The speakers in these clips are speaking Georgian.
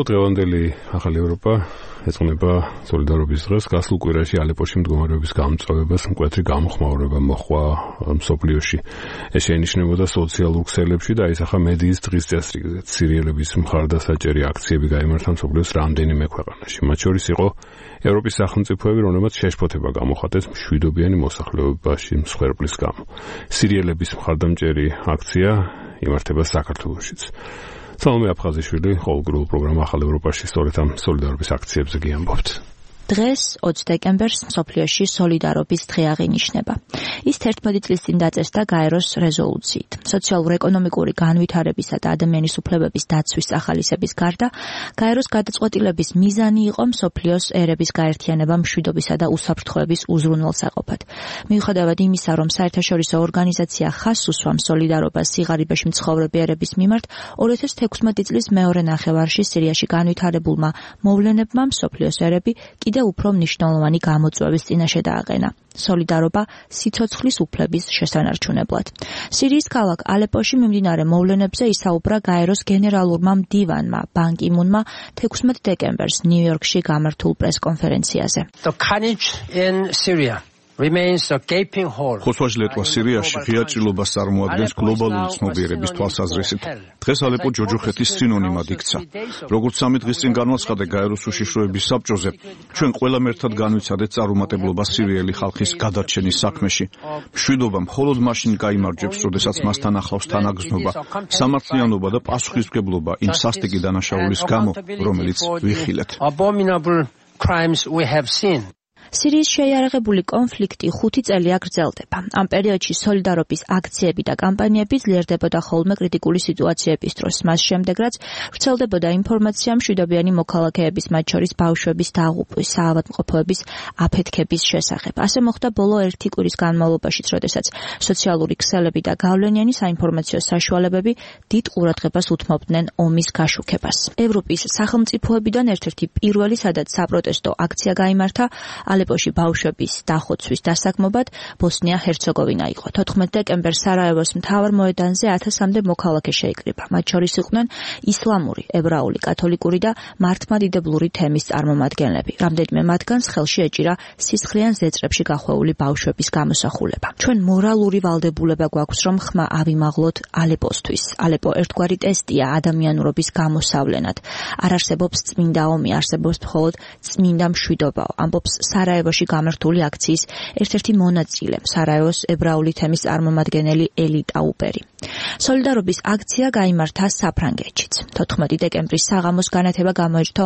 დღევანდელი ახალი ევროპა ეძღვნება სოლიდარობის დღეს. გასულ კვირაში ალეპოში მდგომარეობის გამწვავებას მკვეთრი გამოხმაურება მოჰყვა მსოფლიოში. ეს შეინიშნებოდა სოციალურ ქსელებში და აისახა მედიის დღის წესრიგზე. სირიელების მხარდასაჭერი აქციები გაიმართა მსოფლიოს რამდენიმე ქვეყანაში. მათ შორის იყო ევროპის სახელმწიფოები, რომლებმაც შეშფოთება გამოხატეს მშვიდობიანი მოსახლეობაში მსხვერპლის გამო. სირიელების მხარდამჭერი აქცია იმართება საქართველოშიც. სალომე აფხაზიშვილი ყოველდღიურ პროგრამა ახალ ევროპაში სწორედ ამ სოლიდარობის აქციებზე გიამბობთ. დღეს 20 დეკემბერს მსოფლიოში სოლიდარობის დღე აღინიშნება. ის 11 წლის წინ დაწესდა გაეროს რეზოლუციით. სოციალურ-ეკონომიკური განვითარებისა და ადამიანის უფლებების დაცვის ახალისების გარდა, გაეროს გადაწყვეტილების მიზანი იყო მსოფლიოს ერების გაერთიანება მშვიდობისა და უსაფრთხოების უზრუნველსაყოფად. მიუხედავად იმისა, რომ საერთაშორისო ორგანიზაცია ხაზს უსვამს სოლიდარობას სიღარიბეში მცხოვრები ერების მიმართ, 2016 წლის მეორე ნახევარში სირიაში განვითარებულმა მოვლენებმა მსოფლიოს ერები კიდევ უფრო მნიშვნელოვანი გამოწვევის წინაშე დააყენა. სოლიდარობა სიცოცხლის უფლების შესანარჩუნებლად. სირიის ქალაქ ალეპოში მიმდინარე მოვლენებზე ისაუბრა გაეროს გენერალურმა მდივანმა ბან კი მუნმა 16 დეკემბერს ნიუ-იორკში გამართულ პრესკონფერენციაზე. ხოსვაჟ ლეტვა სირიაში ღია ჭრილობას წარმოადგენს გლობალური ცნობიერების თვალსაზრისით. დღეს ალეპო ჯოჯოხეთის სინონიმად იქცა. როგორც 3 დღის წინ განაცხადა გაეროს უშიშროების საბჭოზე, ჩვენ ყველამ ერთად განვიცადეთ წარუმატებლობა სირიელი ხალხის გადარჩენის საქმეში. მშვიდობა მხოლოდ მაშინ გაიმარჯვებს, როდესაც მასთან ახლავს თანაგრძნობა, სამართლიანობა და პასუხისმგებლობა იმ სასტიკი დანაშაულის გამო, რომელიც ვიხილეთ. სირიის შეიარაღებული კონფლიქტი 5 წელია გრძელდება. ამ პერიოდში სოლიდარობის აქციები და კამპანიები ძლიერდებოდა ხოლმე კრიტიკული სიტუაციების დროს. მას შემდეგ, რაც ვრცელდებოდა ინფორმაცია მშვიდობიანი მოქალაქეების, მათ შორის ბავშვების დაღუპვის, საავადმყოფოების აფეთქების შესახებ. ასე მოხდა ბოლო 1 კვირის განმავლობაშიც, როდესაც სოციალური ქსელები და გავლენიანი საინფორმაციო საშუალებები დიდ ყურადღებას უთმობდნენ ომის გაშუქებას. ევროპის სახელმწიფოებიდან ერთ-ერთი პირველი, სადაც საპროტესტო აქცია გაიმართა, ალეპოში ბავშვების დახოცვის დასაქმობად ბოსნია-ჰერცეგოვინა იყო. 14 დეკემბერს სარაევოს მთავარ მოედანზე 1000-მდე მოქალაქე შეიკრიბა. მათ შორის იყვნენ ისლამური, ებრაული, კათოლიკური და მართლმადიდებლური თემის წარმომადგენლები. რამდენიმე მათგანს ხელში ეჭირა სისხლიან ზეწრებში გახვეული ბავშვების გამოსახულება. ჩვენ მორალური ვალდებულება გვაქვს, რომ ხმა ავიმაღლოთ ალეპოსთვის. ალეპო ერთგვარი ტესტია ადამიანურობის გამოსავლენად. არ არსებობს წმინდა ომი, არსებობს მხოლოდ წმინდა მშვიდობაო. ამბობს სარაევოში გამართული აქციის ერთ-ერთი მონაწილე, სარაევოს ებრაული თემის წარმომადგენელი ელი ტაუპერი. სოლიდარობის აქცია გაიმართა საფრანგეთშიც. 14 დეკემბრის საღამოს განათება გამოეჩნდა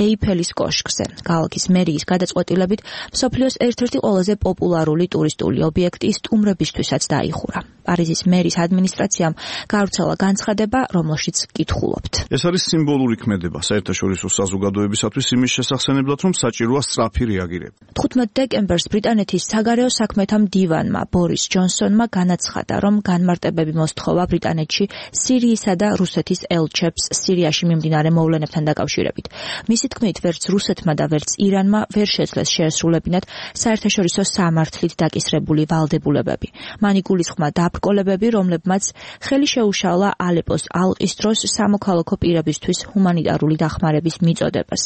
ეიფელის კოშკზე. ქალაქის მერიის გადაწყვეტილებით მსოფლიოს ერთ-ერთი ყველაზე პოპულარული ტურისტული ობიექტი სტუმრებისთვისაც დაიხურა. პარიზის მერის ადმინისტრაციამ გავრცელა განცხადება, რომელშიც კითხულობთ. ეს არის სიმბოლური ქმედება საერთაშორისო საზოგადოებისათვის იმის შესახსენებლად, რომ საჭიროა სწრაფი რეაგირება. 15 დეკემბერს ბრიტანეთის საგარეო საქმეთა მდივანმა ბორის ჯონსონმა განაცხადა, რომ განმარტებები მოსთხოვა ბრიტანეთში სირიისა და რუსეთის ელჩებს სირიაში მიმდინარე მოვლენებთან დაკავშირებით. მისი თქმით, ვერც რუსეთმა და ვერც ირანმა ვერ შეძლეს შეესრულებინათ საერთაშორისო სამართლით დაკისრებული ვალდებულებები. მან იგულისხმა დაბრკოლებები, რომლებმაც ხელი შეუშალა ალეპოს ალყის დროს სამოქალაქო პირებისთვის ჰუმანიტარული დახმარების მიწოდებას.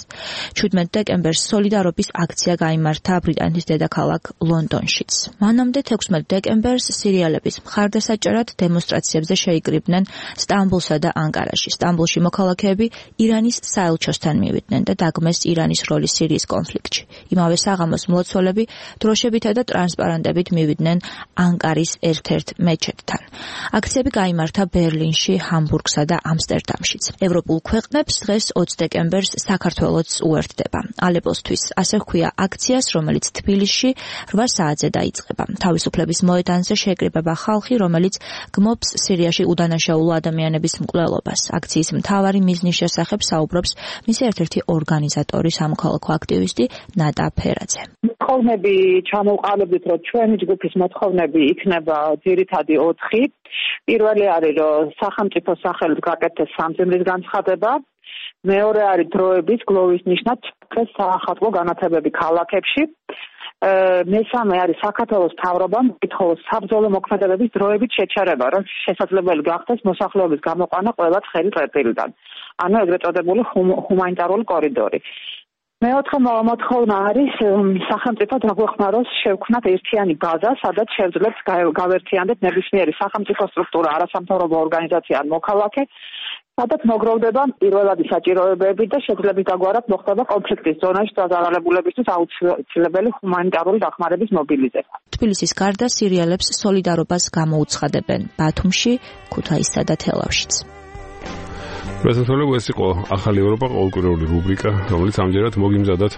17 დეკემბერს სოლიდარობის აქცია გაიმართა ბრიტანეთის დედაქალაქ ლონდონშიც. მანამდე 16 დეკემბერს სირიელების მხარდასაჭერად დემონსტრაციებზე შეიკრიბნენ სტამბოლსა და ანკარაში. სტამბოლში მოქალაქეები ირანის საელჩოსთან მივიდნენ და დაგმეს ირანის როლი სირიის კონფლიქტში. იმავე საღამოს მლოცველები დროშებითა და ტრანსპარანტებით მივიდნენ ანკარის ერთ-ერთ მეჩეთთან. აქციები გაიმართა ბერლინში, ჰამბურგსა და ამსტერდამშიც. ევროპულ ქვეყნებს დღეს 20 დეკემბერს საქართველოც უერთდება. ალეპოსთვის ასე ჰქვია აქციას, რომელიც თბილისში 8 საათზე დაიწყება. თავისუფლების მოედანზე შეეკრიბება ხალხი, რომელიც გმობს სირიაში udანაშაულო ადამიანების მკვლელობას. აქციის მთავარი მიზნის შესახებ საუბრობს მისი ერთ-ერთი ორგანიზატორი, სამოქალაქო აქტივისტი ნატა ფერაძე. მოთხოვნები ჩამოვყალიბდით, რომ ჩვენი ჯგუფის მოთხოვნები იქნება ძირითადი 4. პირველი არის, რომ სახელმწიფო სახელით გაკეთდეს სამძიმრის განცხადება. მეორე არის დროების გლოვის ნიშნად საახალწლო განათებები ქალაქებში. მესამე არის საქართველოს მთავრობამ მკითხოს საბრძოლო მოქმედებების დროებით შეჩერება, რომ შესაძლებელი გახდეს მოსახლეობის გამოყვანა ყველა ცხელი წერტილიდან. ანუ ეგრეთ წოდებული ჰუმანიტარული კორიდორი. მეოთხე მოთხოვნა არის სახელმწიფო დაგვეხმაროს შევქმნათ ერთიანი ბაზა, სადაც შევძლებს გავერთიანდეთ ნებისმიერი სახელმწიფო სტრუქტურა, არასამთავრობო ორგანიზაცია ან მოქალაქე, სადაც მოგროვდება პირველადი საჭიროებები და შეგძლებით დაგვარად მოხდება კონფლიქტის ზონაში დაზარალებულებისთვის აუცილებელი ჰუმანიტარული დახმარების მობილიზება. თბილისის გარდა სირიელებს სოლიდარობას გამოუცხადებენ ბათუმში, ქუთაისსა და თელავშიც. ეს იყო ახალი ევროპა ყოველკვირეული რუბრიკა, რომელიც ამჯერად მოგიმზადათ